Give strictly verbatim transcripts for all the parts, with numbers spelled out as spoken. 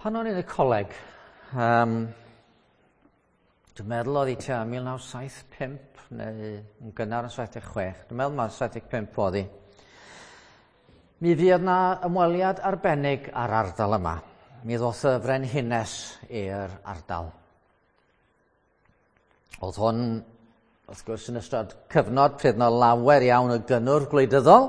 Pan o'n i'n y coleg, um, dwi'n meddwl oedd hi tua mil naw saith pump neu yn gynnar yn saith deg chwech, dwi'n meddwl mai saith deg pump oedd hi. Mi fuodd 'na ymweliad arbennig ar ardal yma. Mi ddoth y frenhines i'r ardal. Oedd hwn, wrth gwrs, yn ystod cyfnod pryd 'na lawer iawn o gynnwrf gwleidyddol,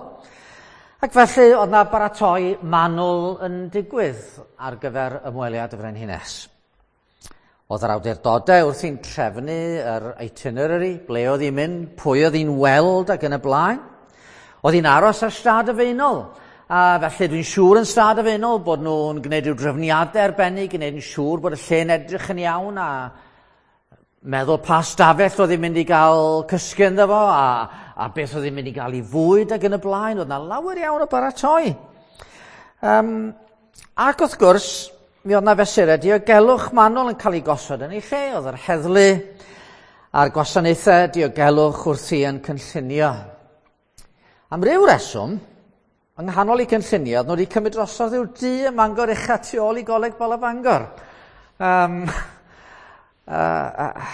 ac felly oedd 'na baratoi manwl yn digwydd ar gyfer ymweliad y frenhines. Oedd yr awdurdodau wrthi'n trefnu yr itinerary, ble oedd hi'n mynd, pwy oedd hi'n weld ac yn y blaen. Oedd hi'n aros ar Stad y Faenol, a felly dwi'n siŵr yn Stad y Faenol bod nhw'n gwneud rhyw drefniadau arbennig, gwneud yn siŵr bod y lle'n edrych yn iawn a meddwl pa stafell oedd hi'n mynd i gael cysgu ynddo fo a, a beth oedd hi'n mynd i gael ei fwyd ac yn y blaen. Oedd 'na lawer iawn o baratoi. Um, ac wrth gwrs, mi oedd 'na fesurau diogelwch manwl yn cael ei gosod yn ei lle. Oedd yr heddlu a'r gwasanaethau diogelwch wrthi yn cynllunio. Am ryw reswm, yng nghanol eu cynllunio, oedd nhw wedi cymryd drosodd i'w dŷ ym Mangor ucha tu ôl i Goleg Bala Bangor. Um, uh, uh,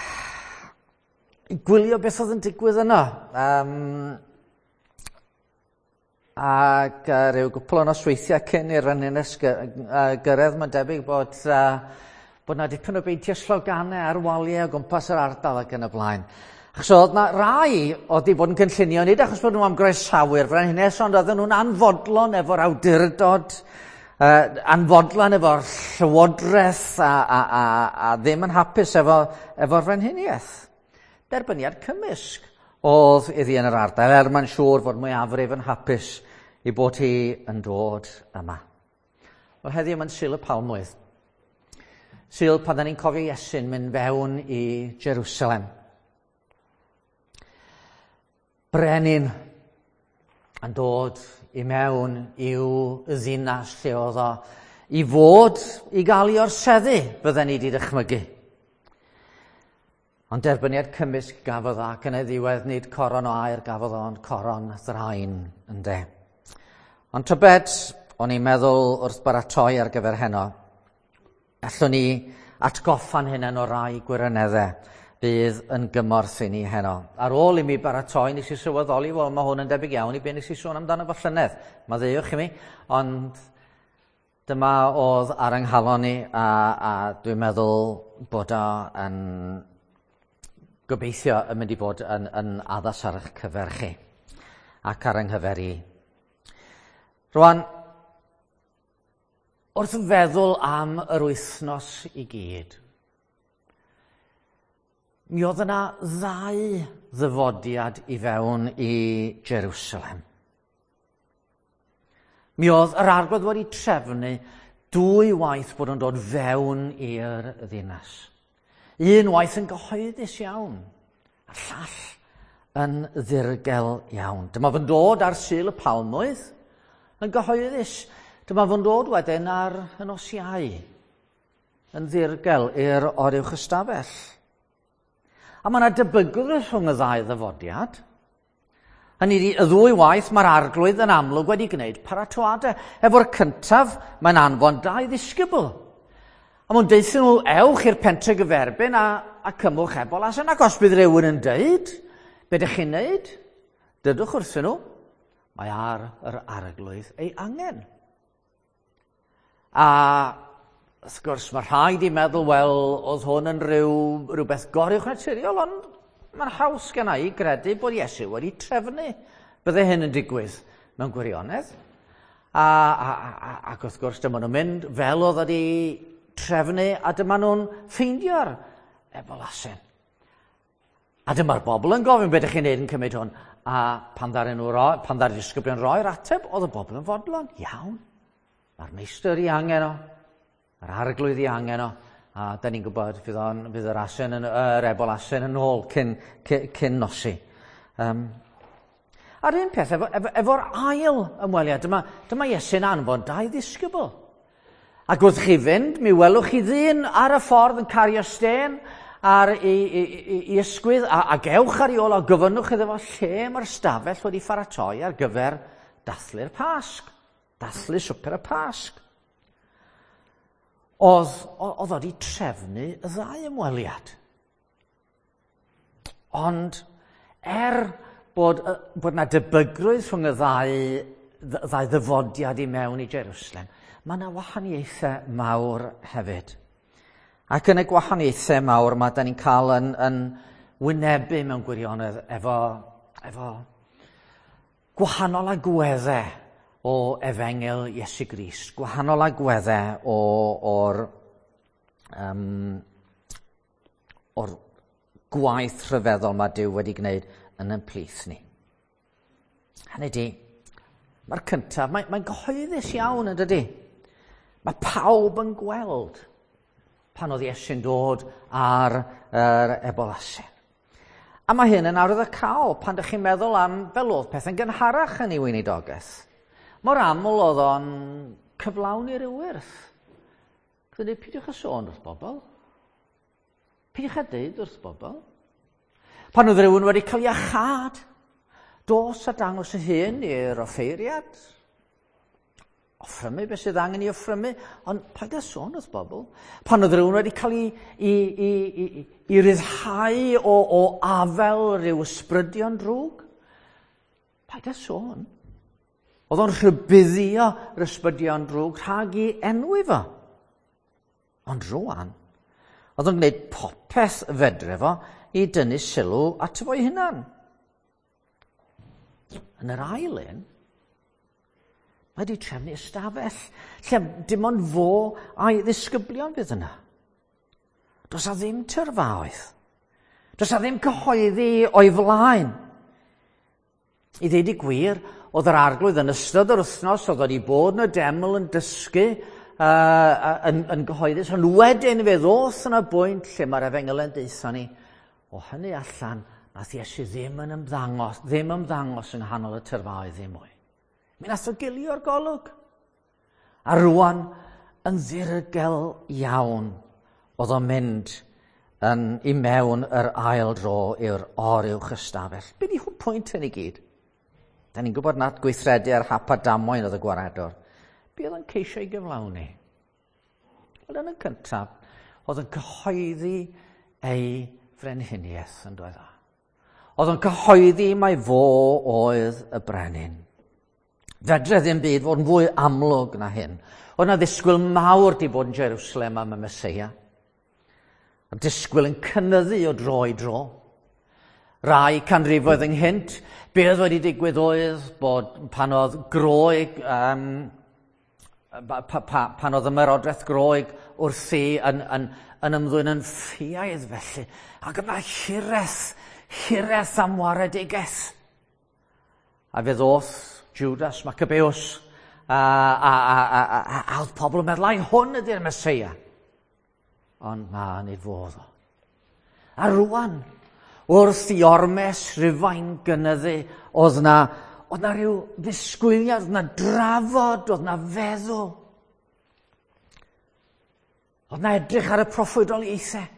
i gwylio beth oedd yn digwydd yno. Um, ac uh, rhyw gwpl o nosweithiau cyn i'r frenhines gy-, uh, gyrraedd, mae'n debyg bod, uh, bod 'na dipyn o beintio sloganau ar waliau o gwmpas yr ardal ac yn y blaen. Achos oedd 'na rai oedd wedi bod yn cynllunio, nid achos bod nhw am groesawu'r frenhines, ond oedden nhw'n anfodlon efo'r awdurdod, uh, anfodlon efo'r llywodraeth a, a, a, a ddim yn hapus efo, efo'r frenhiniaeth. Derbyniad cymysg oedd iddi yn yr ardal, er mae'n siŵr fod mwyafrif yn hapus i bod hi yn dod yma. Wel, heddiw mae'n Sul y Palmwydd. Sul pan da ni'n cofio Iesu'n mynd fewn i Jerusalem. Brenin yn dod i mewn i'w ddinas lle oedd o i fod i gael ei orseddu, bydden ni wedi dychmygu. Ond derbyniad cymysg gafodd o, ac yn ei ddiwedd nid coron o aur gafodd o, ond coron ddrain, ynde. Ond tybed, o'n i'n meddwl wrth baratoi ar gyfer heno, allwn ni atgoffa'n hunain o rai gwirioneddau bydd yn gymorth i ni heno. Ar ôl i mi baratoi, nes i sylweddoli, wel, mae hwn yn debyg iawn i be nes i sôn amdano fo llynedd. Maddeuwch i mi, ond dyma oedd ar yng nghalon i, a, a dwi'n meddwl bod o yn gobeithio yn mynd i fod yn, yn addas ar eich cyfer chi ac ar yng nghyfer i. Rwan, wrth feddwl am yr wythnos i gyd, mi oedd yna ddau ddyfodiad i fewn i Jerusalem. Mi oedd yr Arglwydd wedi trefnu dwy waith bod yn dod fewn i'r ddinas. Un waith yn gyhoeddus iawn, a'r llall yn ddirgel iawn. Dyma fo'n dod ar Sul y Palmwydd yn gyhoeddus. Dyma fo'n dod wedyn ar y nos Iau yn ddirgel i'r oruwch ystafell. A mae yna debygrwydd rhwng y ddau ddyfodiad. Hynny ydi, y ddwy waith mae'r Arglwydd yn amlwg wedi gwneud paratoadau. Efo'r cyntaf, mae'n anfon dau ddisgybl. A mae'n deuthyn nhw, ewch i'r pentre gyferbyn a, a cymwch ebol asen. Ac os bydd rhywun yn deud, be ydych chi'n neud? Dydwch wrthyn nhw, mae ar yr Arglwydd ei angen. A wrth gwrs, mae rhaid i meddwl, wel, oedd hwn yn rhyw, rhywbeth goruwchnaturiol, ond mae'n haws genna i gredu bod Iesu wedi trefnu bydde hyn yn digwydd mewn gwirionedd. A, a, a, ac wrth gwrs, dyma nhw'n mynd fel oedd wedi trefnu, a dyma nhw'n ffeindio'r ebol asen. A dyma'r bobl yn gofyn, beth ydych chi'n neud yn cymryd hwn? A pan ddaru nhw roi, pan ddaru disgyblion roi'r ateb, oedd y bobl yn fodlon. Iawn, mae'r meistr i angen o, mae'r Arglwydd i angen o, a da ni'n gwybod fydd, on, fydd yr asen yn, yr ebol asen yn ôl cyn, cyn, cyn nosi. Um, a'r un peth, efo, efo, efo'r ail ymweliad, dyma, dyma Iesu'n anfon dau ddisgybl. Ac wrth chi fynd, mi welwch chi ddyn ar y ffordd yn cario stên ar i, i, i, i ysgwydd, a, a gewch ar ei ôl a gofynnwch iddo fo lle mae'r stafell wedi pharatoi ar gyfer dathlu'r Pasg, dathlu swper y Pasg. oedd, oedd wedi trefnu y ddau ymweliad. Ond er bod, bod 'na debygrwydd rhwng y ddau, ddau ddyfodiad i mewn i Jerusalem, mae yna wahaniaethau mawr hefyd. Ac yn y gwahaniaethau mawr mae da ni'n cael yn, yn wynebu mewn gwirionedd efo, efo gwahanol agweddau o efengyl Iesu Grist, gwahanol agweddau o, o'r, um, o'r gwaith rhyfeddol mae Duw wedi gwneud yn ein plith ni. Hynny di, mae'r cyntaf, mae'n mae gyhoeddus iawn yn dydy. Mae pawb yn gweld pan oedd Iesu'n dod ar yr ebol asen. A mae hyn yn arwyddocaol pan ydych chi'n meddwl am fel oedd pethau'n gynharach yn ei weinidogaeth. Mor aml oedd o'n cyflawni'r ewyrth. Dwi'n dweud, peidiwch â sôn wrth bobl. Peidiwch â deud wrth bobl. Pan oedd rhywun wedi cael iachâd, dos a dangos y hun i'r offeiriad. Offrymu beth sydd angen i offrymu, ond paid â sôn wrth bobl. Pan oedd rhywun wedi cael ei, i, i, i, i ryddhau o, o afel rhyw ysbrydion drwg, paid â sôn. Oedd o'n rhybuddio yr ysbrydion drwg rhag i enwi fo. Ond rwan, oedd o'n gwneud popeth fedre fo i dynnu sylw ato fo'i hunan. Yn yr ail un, mae wedi trefnu ystafell lle dim ond fo a'i ddisgyblion fydd yna. Does a ddim tyrfaoedd. Does a ddim cyhoeddi o'i flaen. I ddeud y gwir, oedd yr arglwydd yn ystod yr wythnos, oedd wedi bod yn y deml yn dysgu uh, yn, yn gyhoeddus, ond wedyn fe ddoth yna bwynt lle mae'r efengyl yn deutha ni. O hynny allan, nath Iesu ddim yn ymddangos, ddim ymddangos yng nghanol y tyrfaoedd ddim mwy. Mi nath o gilio'r golwg. A rwan, yn ddirgel iawn, oedd o'n mynd yn, i mewn yr ail dro i'r oruwch ystafell. Be di hwn pwynt hyn i gyd? Da ni'n gwybod nad gweithredu ar hap a damwain oedd y gwaredwr. Be oedd yn ceisio ei gyflawni? Wel, yn y cyntaf, oedd yn cyhoeddi ei frenhiniaeth yn dweud. Oedd yn cyhoeddi mai fo oedd y brenin. Fedre ddim byd fod yn fwy amlwg na hyn. Oedd yna ddisgwyl mawr di bod yn Jerusalem am y Meseia. A disgwyl yn cynyddu o dro i dro. Rai canrifoedd ynghynt, be oedd wedi digwydd oedd bod pan oedd Groeg, um, pa, pa, pan oedd ymerodraeth Groeg wrthi yn, yn, yn ymddwyn yn ffiaidd felly, ac yna hiraeth, hiraeth am waredigaeth. A fe ddoth Judas Maccabeus, a, a, a, a, a, a, a oedd pobl yn meddwl, ai hwn ydy'r Meseia. Ond na, nid fodd o. A rwan, wrth i ormes Rhufain gynyddu, oedd na, oedd na rhyw ddisgwyliad, oedd na drafod, oedd na feddwl. Oedd na edrych ar y proffwydoliaethau.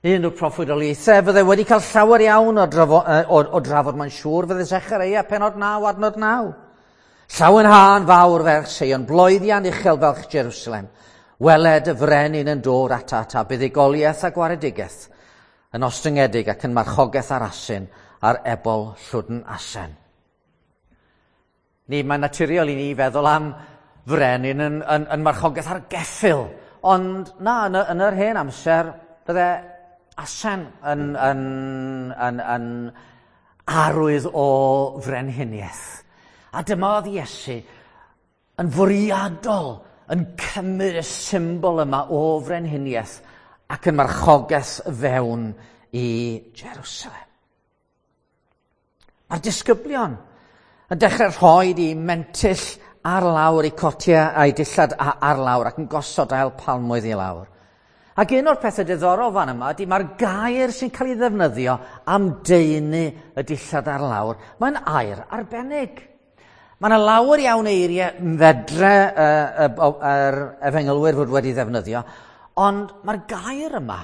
Un o'r proffwydoliaethau fydde wedi cael llawer iawn o, drafo, o, o drafod, mae'n siŵr, fydde Zechareia penod naw, adnod naw. Llawenhân fawr ferch Seion, bloeddian uchel felch Jerusalem. Weled y frenin yn dod at at a buddugoliaeth a gwaredigaeth, yn ostyngedig ac yn marchogaeth ar asyn a'r ebol llwdn asen. Ni, mae'n naturiol i ni feddwl am frenin yn, yn, yn marchogaeth ar geffyl, ond na, yn, yn yr hen amser, bydde asen yn, yn, yn, yn arwydd o frenhiniaeth. A dyma oedd Iesu yn fwriadol yn cymryd y symbol yma o frenhiniaeth ac yn marchogaeth fewn i Jerusalem. Mae'r disgyblion yn dechrau rhoi i mentyll ar lawr, i cotiau a'i dillad ar lawr ac yn gosod ail palmwydd i lawr. Ac un o'r pethau diddorol fan yma ydy mae'r gair sy'n cael ei ddefnyddio am deunu y dillad ar lawr, mae'n air arbennig. Mae yna lawer iawn eiriau fedre yr efengylwyr fod wedi ddefnyddio, ond mae'r gair yma,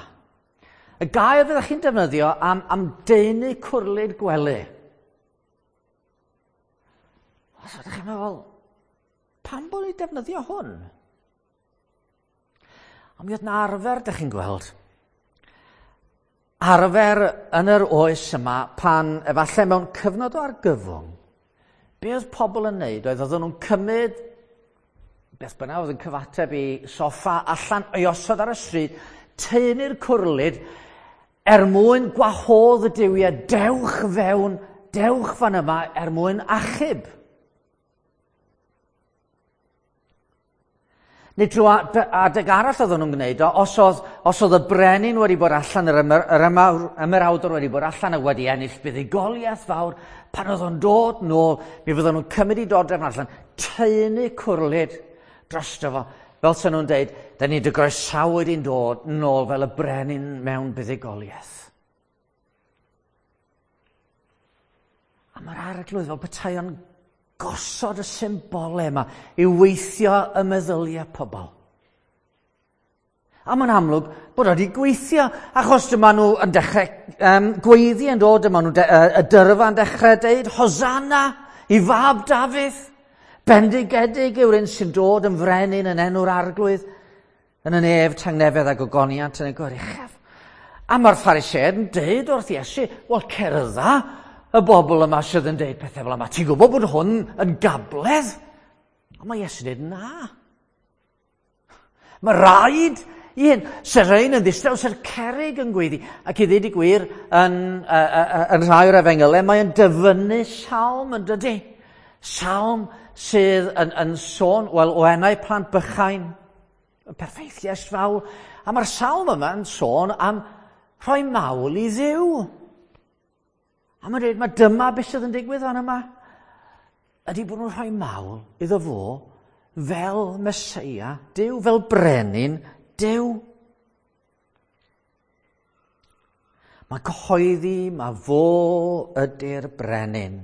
y gair fyddech chi'n defnyddio am, am deunu cwrlid gwely. Os ydych chi'n meddwl, pam bod ni'n defnyddio hwn? Ond mi oedd 'na arfer, dych chi'n gweld. Arfer yn yr oes yma pan efallai mewn cyfnod o argyfwng, be oedd pobl yn neud oedd oedden nhw'n cymryd beth bynnag oedd yn cyfateb i soffa allan o'i osod ar y stryd, taenu'r cwrlid er mwyn gwahodd y duwiau, dewch fewn, dewch fan yma er mwyn achub. Neu drwy adeg arall oedden nhw'n gwneud o, os oedd, os oedd y brenin wedi bod allan, yr, ymer, yr ymerawdwr wedi bod allan a wedi ennill buddugoliaeth fawr, pan oedd o'n dod nôl, mi fydden nhw'n cymryd i dodrefn allan, taenu cwrlid drosto fo, fel sy'n nhw'n deud, da ni'n dy groesawu di'n dod nôl fel y brenin mewn buddugoliaeth. A mae'r arglwydd fel petai o'n gosod y symbolau yma i weithio y meddyliau pobl. A mae'n amlwg bod wedi gweithio, achos dyma nhw yn dechrau um, gweiddi yn dod, dyma nhw de, uh, y dyrfa yn dechrau deud, Hosanna i fab Dafydd, bendigedig yw'r un sy'n dod yn frenin yn enw'r arglwydd, yn y nef, tangnefedd a gogoniant yn y goruchaf. A mae'r Phariseaid yn deud wrth Iesu, wel cerdda y bobl yma sydd yn deud pethau fel yma. Ti'n gwybod bod hwn yn gabledd? Ond mae Iesu'n deud na. Mae rhaid i hyn. Se'r rhain yn ddistaw, se'r cerrig yn gweiddi. Ac i ddweud y gwir, yn, uh, uh, yn rhai o'r efengylau, mae'n dyfynnu salm yn dydy. Salm sydd yn, yn sôn, wel, o enau plant bychain, y perffaith fawl. A mae'r salm yma yn sôn am rhoi mawl i Dduw. A mae'n dweud, mae dyma beth sydd yn digwydd fan yma. Ydy bod nhw'n rhoi mawl iddo fo fel Meseia Duw, fel brenin Duw. Mae cyhoeddi, mae fo ydy'r brenin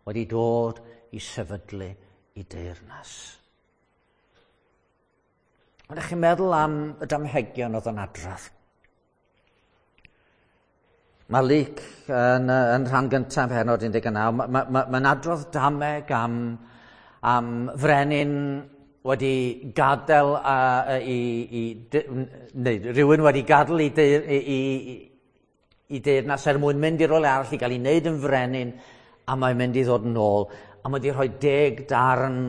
wedi dod i sefydlu i deyrnas. Ond ydych chi'n meddwl am y damhegion oedd yn adrodd? Mae Luc yn, yn rhan gyntaf pennod un deg naw, mae'n ma, ma, ma adrodd dameg am, am frenin wedi gadael a, i, i, neu rhywun wedi gadael i, i, i, i deyrnas er mwyn mynd i rywle arall i gael ei wneud yn frenin, a mae'n mynd i ddod yn ôl. A mae wedi rhoi deg darn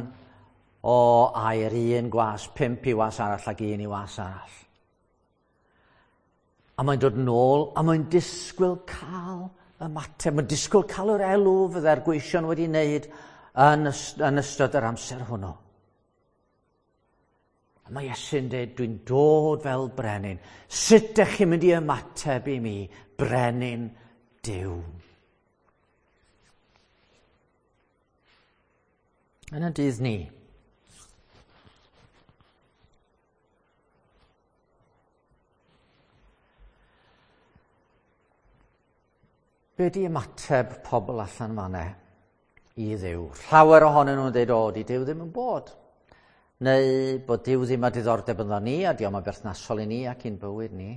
o aur, un gwas, pump i was arall ac un i was arall. A mae'n dod nôl, a mae'n disgwyl cael ymateb, mae'n disgwyl cael yr elw fydde'r gweision wedi wneud yn, yn ystod yr amser hwnnw. A mae Iesu'n dweud, dwi'n dod fel brenin. Sut ydych chi'n mynd i ymateb i mi, brenin Duw? Yn y dydd ni, be di ymateb pobl allan fan'na i Dduw? Llawer ohonyn nhw'n dweud, o, di Duw ddim yn bod. Neu bod Duw ddim â diddordeb ynddo ni, a dio'm yn berthnasol i ni ac i'n bywyd ni.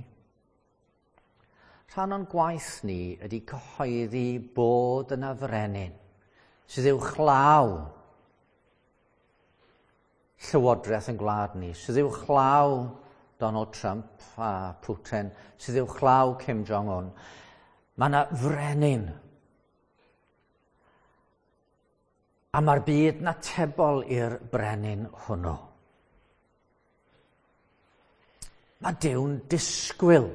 Rhan o'n gwaith ni ydy cyhoeddi bod yna frenin sydd uwchlaw llywodraeth yn gwlad ni, sydd uwchlaw Donald Trump a Putin, sydd uwchlaw Kim Jong-un. Mae yna frenin. A mae'r byd yn atebol i'r brenin hwnnw. Mae Duw'n disgwyl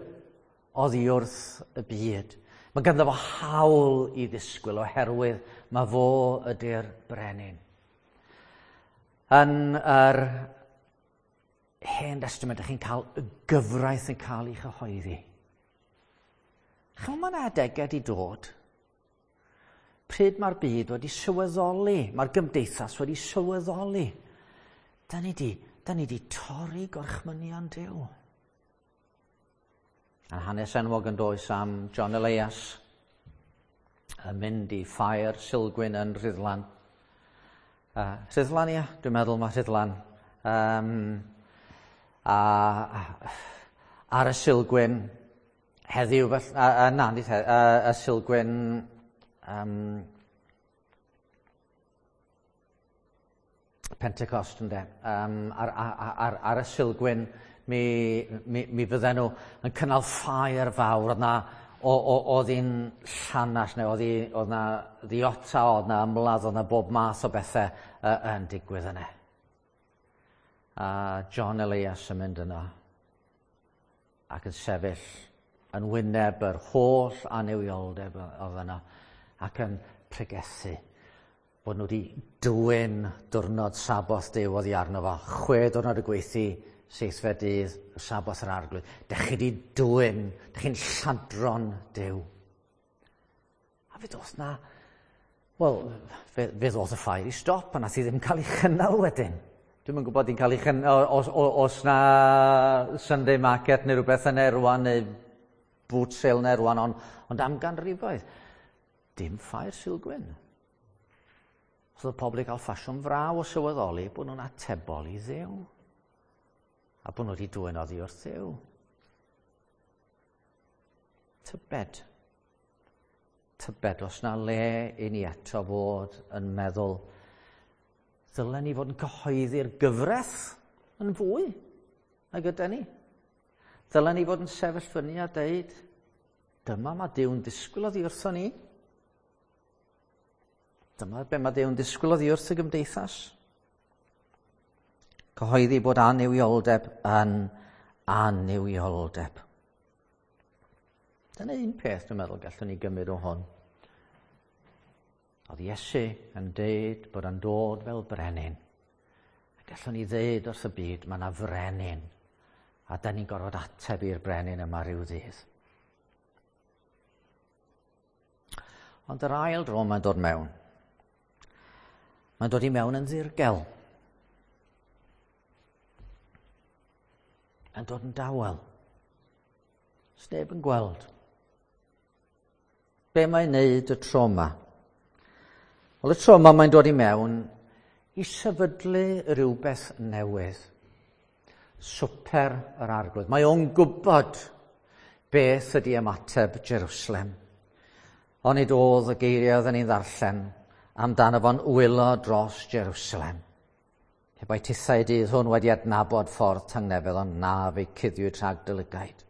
oddi wrth y byd. Mae ganddo fo hawl i ddisgwyl oherwydd mae fo ydy'r brenin. Yn yr Hen Testament, ydych chi'n cael y gyfraith yn cael ei chyhoeddi. Chymod, mae'n adegau wedi dod pryd mae'r byd wedi sylweddoli, mae'r gymdeithas wedi sylweddoli. Da ni di, da ni di torri gorchmynion Duw. A hanes enwog yn does am John Elias yn mynd i ffair Silgwyn yn Rhuddlan. Uh, Rhuddlan, ia, dwi'n meddwl mae Rhuddlan. Um, a, ar y Silgwyn, heddiw, a, a, na, nid heddiw, a, y Silgwyn um, Pentecost, ynde, um, ar, ar, ar, ar y Silgwyn mi, mi, mi fydden nhw yn cynnal ffair fawr. Oedd na, oedd hi'n llanast, neu oedd, hi, oedd na ddiota, oedd na ymladd, oedd na bob math o bethau uh, yn digwydd yna. A John Elias yn mynd yno ac yn sefyll yn wyneb yr holl annuwioldeb oedd yno ac yn pregethu bod nhw wedi dwyn diwrnod Saboth Duw oddi arno fo. Chwe diwrnod y gweithio, seithfed dydd, y Saboth yr Arglwydd. Dych chi wedi dwyn, dych chi'n lladron Duw. A fe ddoth na, wel, fe, fe ddoth y ffair i stop, a nath i ddim cael ei chynnal wedyn. Dwi'm yn gwybod i'n cael ei chynnal, os, os, os na Sunday market neu rhywbeth yn rwan, neu boot sale neu rwan, ond, ond am ganrifoedd, dim ffair Sulgwyn. Os oedd y pobl i gael ffasiwn fraw o sylweddoli bod nhw'n atebol i Dduw. A bod nhw wedi dwyn oddi wrth Dduw. Tybed. Tybed os na le i ni eto fod yn meddwl ddylen ni fod yn cyhoeddi'r gyfraith yn fwy nag ydy ni. Ddylen ni fod yn sefyll fyny a deud, dyma mae Duw'n disgwyl oddi wrtho ni. Dyma be mae Duw'n disgwyl oddi wrth y gymdeithas. Cyhoeddi bod annuwioldeb yn annuwioldeb. Dyna un peth dwi'n meddwl gallwn ni gymryd o hwn. Oedd Iesu yn deud bod o'n dod fel brenin. A gallwn ni ddeud wrth y byd, mae yna frenin. A da ni'n gorfod ateb i'r brenin yma rhyw ddydd. Ond yr ail dro mae'n dod mewn. Mae'n dod i mewn yn ddirgel. Mae'n dod yn dawel. Sneb yn gweld. Be mae'n neud y tro yma? Wel, y tro yma mae'n dod i mewn i sefydlu rhywbeth newydd. Swper yr Arglwydd. Mae o'n gwybod beth ydy ymateb Jerusalem. Onid oedd y geiriau oedden ni'n ddarllen amdano fo'n wylo dros Jerusalem. Pe bai tithau dydd hwn wedi adnabod ffordd tangnefedd, ond na fe cuddiwyd rhag dy lygaid.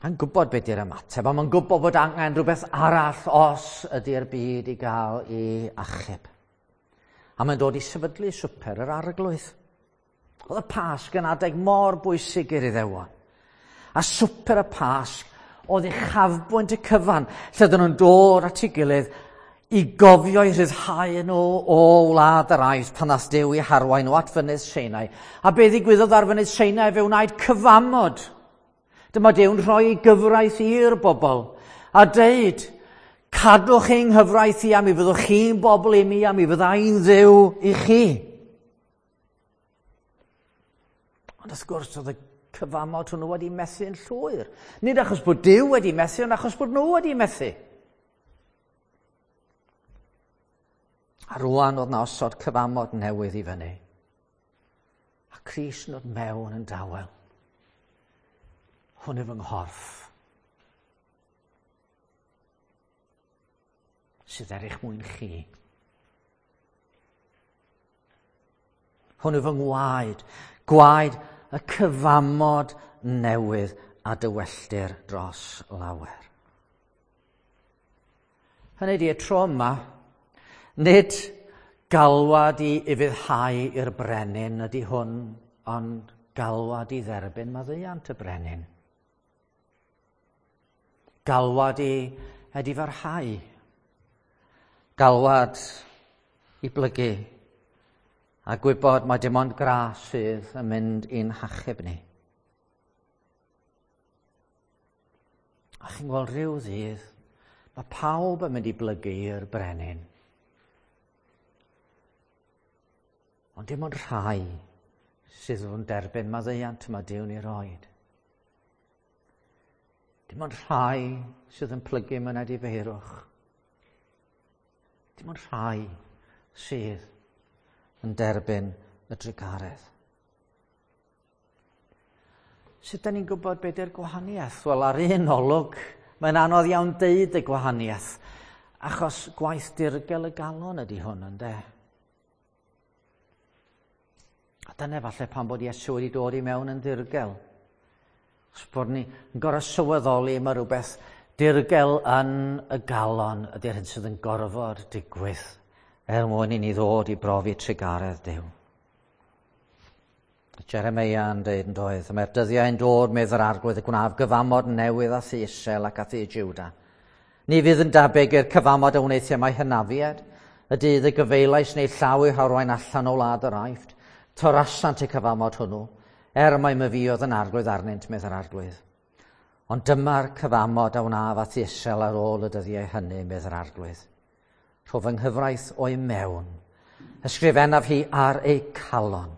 Mae'n gwybod beth yw'r ymateb, a mae'n gwybod bod angen rhywbeth arall os ydy'r byd i gael ei achub. A mae'n dod i sefydlu swper yr Arglwydd. Oedd y Pasg yn adeg mor bwysig i'r Iddewon. A swper y Pasg oedd uchafbwynt y cyfan, lle oedden nhw'n dod at ei gilydd i gofio i rhyddhau nhw o wlad yr Aifft pan nath Duw i harwain nhw at fynydd Sinai. A be ddigwyddodd ar fynydd Sinai? Fe wnaed cyfamod. Dyma Duw'n rhoi ei gyfraith i'r bobl a deud, cadwch ein nghyfraith i a mi fyddwch chi'n bobl i mi a mi fydda i'n Dduw i chi. Ond wrth gwrs oedd y cyfamod hwnnw wedi methu'n llwyr. Nid achos bod Duw wedi methu, ond achos bod nhw wedi methu. A rwan oedd na osod cyfamod newydd i fyny. A Crist yn dod mewn yn dawel. Hwn yw fy nghorff. Sydd er eich mwyn chi. Hwn yw fy ngwaed. Gwaed y cyfamod newydd a dywelltir dros lawer. Hynny ydi, y tro yma, nid galwad i ufuddhau i'r brenin ydy hwn, ond galwad i dderbyn maddeuant y brenin. Galwad i edifarhau. Galwad i blygu a gwybod mai dim ond gras sydd yn mynd i'n hachub ni. A chi'n gweld rhyw ddydd, mae pawb yn mynd i blygu i'r brenin. Ond dim ond rhai sydd yn derbyn maddeuant mae Duw'n ei roed. Dim ond rhai sydd yn plygu mewn edifeirwch. Dim ond rhai sydd yn derbyn y drugaredd. Sut da ni'n gwybod beth yw'r gwahaniaeth? Wel, ar un olwg, mae'n anodd iawn deud y gwahaniaeth, achos gwaith dirgel y galon ydy hwn, ynde? A dyna falle pan bod Iesu wedi dod i mewn yn ddirgel. Os bod ni yn gorfod sylweddoli mae rhywbeth dirgel yn y galon ydy'r hyn sydd yn gorfod digwydd er mwyn i ni ddod i brofi trugaredd Duw. Jeremia yn dweud yn doedd, mae'r dyddiau yn dod, medd yr Arglwydd, y gwnaf gyfamod newydd â thŷ Israel ac â thŷ Juda. Ni fydd yn debyg i'r cyfamod a wnaeth â'u hynafiaid, y dydd y gyfeilais yn eu llaw i'w harwain allan o wlad yr Aifft. Torasant y cyfamod hwnnw, er mai myfi oedd yn arglwydd arnynt, medd yr Arglwydd. Ond dyma'r cyfamod a wnaf â thŷ Israel ar ôl y dyddiau hynny, medd yr Arglwydd. Rhof fy nghyfraith o'i mewn, ysgrifennaf hi ar eu calon,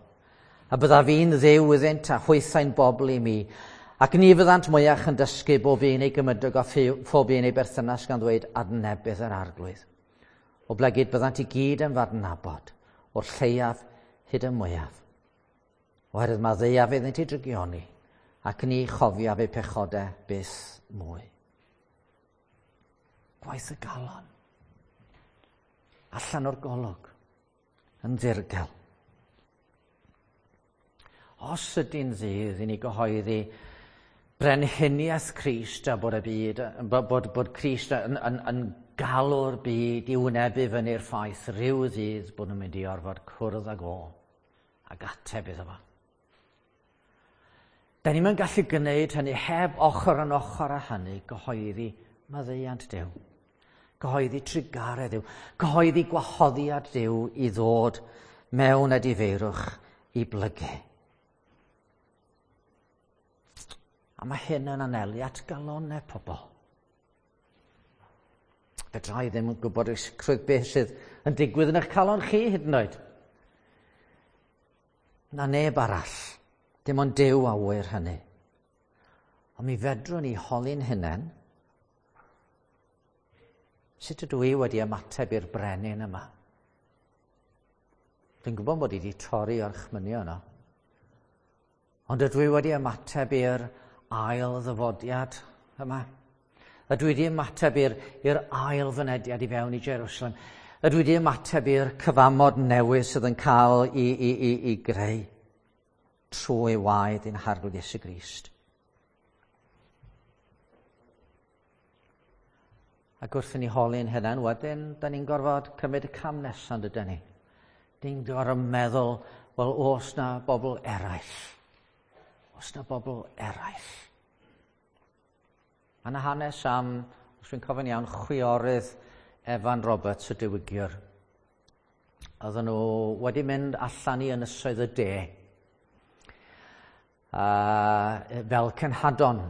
a byddaf fi'n Dduw iddynt a hwythau'n bobl i mi, ac ni fyddant mwyach yn dysgu bob un ei gymydog a phob un ei berthynas gan ddweud adnebydd yr Arglwydd. Oblegid byddant i gyd yn f'adnabod, o'r lleiaf hyd y mwyaf. Oherwydd maddeuaf iddynt eu drygioni, ac ni chofiaf eu pechodau byth mwy. Gwaith y galon. Allan o'r golwg, yn ddirgel. Os ydy'n ddydd i ni gyhoeddi brenhiniaeth Crist a bod y byd, bod, bod, bod Crist yn, yn, yn galw'r byd i wynebu fyny'r ffaith rhyw ddydd bod nhw'n mynd i orfod cwrdd ag o ac ateb iddo fo. Da ni'n mynd gallu gwneud hynny heb ochr yn ochr â hynny gyhoeddi maddeuant Duw, gyhoeddi trugaredd Duw, gyhoeddi gwahoddiad Duw i ddod mewn edifeirwch i blygu. A mae hyn yn anelu at galonnau pobl. Fedra i ddim yn gwybod i sicrwydd beth sydd yn digwydd yn eich calon chi hyd yn oed. Na neb arall. Dim ond Duw a ŵyr hynny. Ond mi fedrwn ni holi'n hunain, sut ydw i wedi ymateb i'r brenin yma? Dwi'n gwybod bod i wedi torri orchmynion yno. Ond ydw i wedi ymateb i'r ail ddyfodiad yma? Ydw i wedi ymateb i'r, i'r ail fynediad i fewn i Jerusalem? Ydw i wedi ymateb i'r cyfamod newydd sydd yn cael i, i, i, i greu trwy waed ein Harglwydd Iesu Grist? Ac wrth i ni holi'n hunain wedyn, da ni'n gorfod cymryd y cam nesaf, dydyn ni? Ni'n gorfod meddwl, wel, oes na bobl eraill? Oes na bobl eraill? Mae yna hanes am, os dwi'n cofio'n iawn, chwiorydd Evan Roberts, y diwygiwr. Oedden nhw wedi mynd allan i ynysoedd y de uh, fel cenhadon.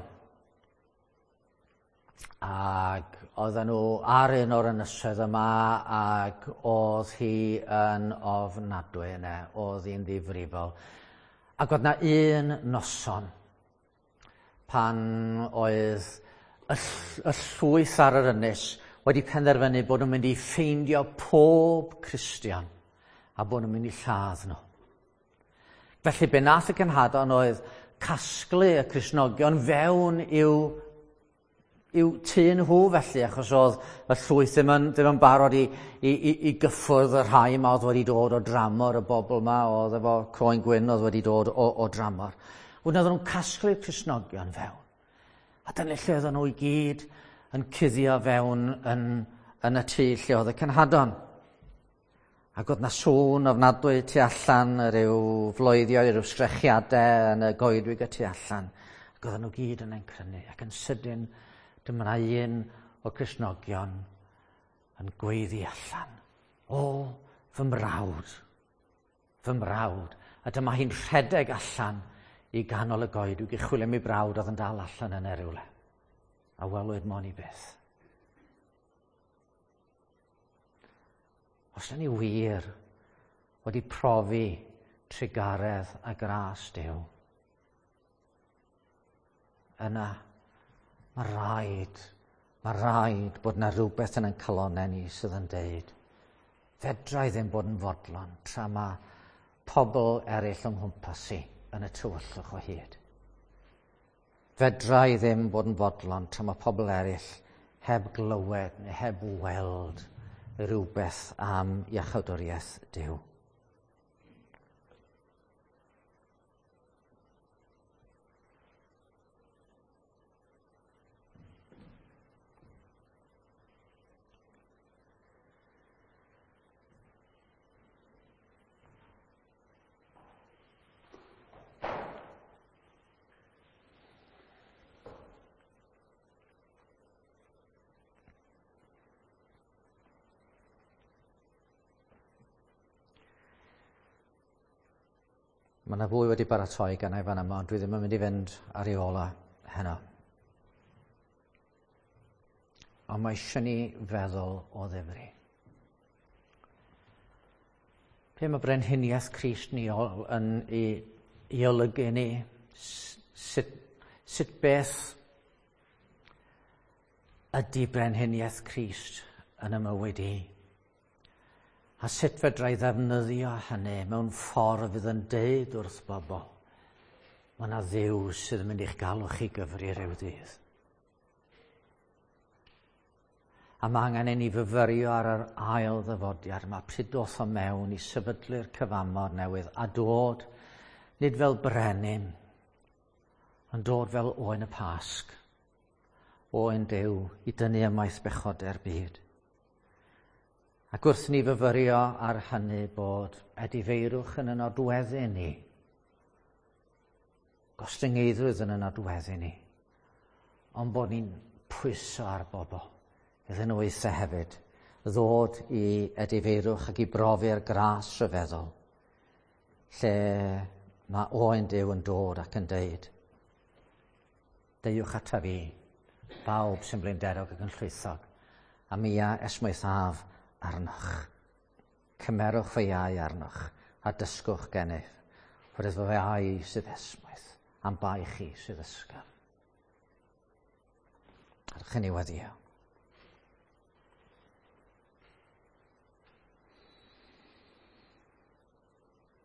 Ac oedden nhw ar un o'r ynysoedd yma ac oedd hi yn ofnadwy yna, oedd hi'n ddifrifol. Ac oedd na un noson pan oedd y, y llwyth ar yr ynys wedi penderfynu bod nhw'n mynd i ffeindio pob Cristion a bod nhw'n mynd i lladd nhw. Felly be nath y cenhadon oedd casglu y Cristnogion fewn i'w, i'w tŷ nhw felly, achos oedd y llwyth ddim yn, ddim yn barod i, i, i, i gyffwrdd y rhai yma oedd wedi dod o dramor, y bobl yma oedd efo croen gwyn oedd wedi dod o, o dramor. Wedyn oedden nhw'n casglu'r Cristnogion fewn. A dyna lle oedden nhw i gyd yn cuddio fewn yn, yn y tŷ lle oedd y cenhadon. Ac oedd na sŵn ofnadwy tu allan, rhyw floeddio, rhyw sgrechiadau yn y goedwig y tu allan. Ac oedden nhw gyd yn encrynu. Ac yn sydyn, dyma na un o'r Cristnogion yn gweiddi allan. O, fy mrawd, fy mrawd. A dyma hi'n rhedeg allan i ganol y goedwig i chwilio am ei brawd oedd yn dal allan yn rywle. A welwyd mon i byth. Os yna ni wir wedi profi trugaredd a gras Duw, yna mae rhaid, mae rhaid bod yna rhywbeth yn ein calonnau ni sydd yn deud, fedra i ddim bod yn fodlon tra mae pobl eraill o'ng nghwmpas i yn y tywyllwch o hyd. Fedra i ddim bod yn fodlon tra mae pobl eraill heb glywed neu heb weld rhywbeth am iachawdwriaeth Duw. Mae yna fwy wedi baratoi gan ei fan yma, ond dwi ddim yn mynd i fynd ar ei ola heno. Ond mae eisiau ni feddwl o ddifri. Be mae brenhiniaeth Crist ni yn ei, ei olygu ni? Sut, sut beth ydy brenhiniaeth Crist yn y mywyd i? A sut fedra i ddefnyddio hynny mewn ffordd fydd yn deud wrth bobl, mae yna Dduw sydd yn mynd i'ch galw chi gyfri rhyw ddydd. A mae angen i ni fyfyrio ar yr ail ddyfodiad yma, pryd doth o mewn i sefydlu'r cyfamod newydd a dod, nid fel brenin, ond dod fel oen y Pasg, oen Duw i dynnu ymaith bechodau'r byd. Ac wrth ni fyfyrio ar hynny bod edifeirwch yn y nodweddu ni, gostyngeiddrwydd yn y nodweddu ni, ond bod ni'n pwyso ar bobl iddyn nhw eithaf hefyd ddod i edifeirwch ac i brofi'r gras rhyfeddol, lle mae oen Duw yn dod ac yn deud, deuwch ata fi, bawb sy'n blinderog ac yn llwythog, a mi a esmwythaf arnoch. Cymerwch fy iau arnoch a dysgwch gennyf, oherwydd fy iau sydd esmwyth, am bai chi sydd ysgafn. Arch i ni weddio.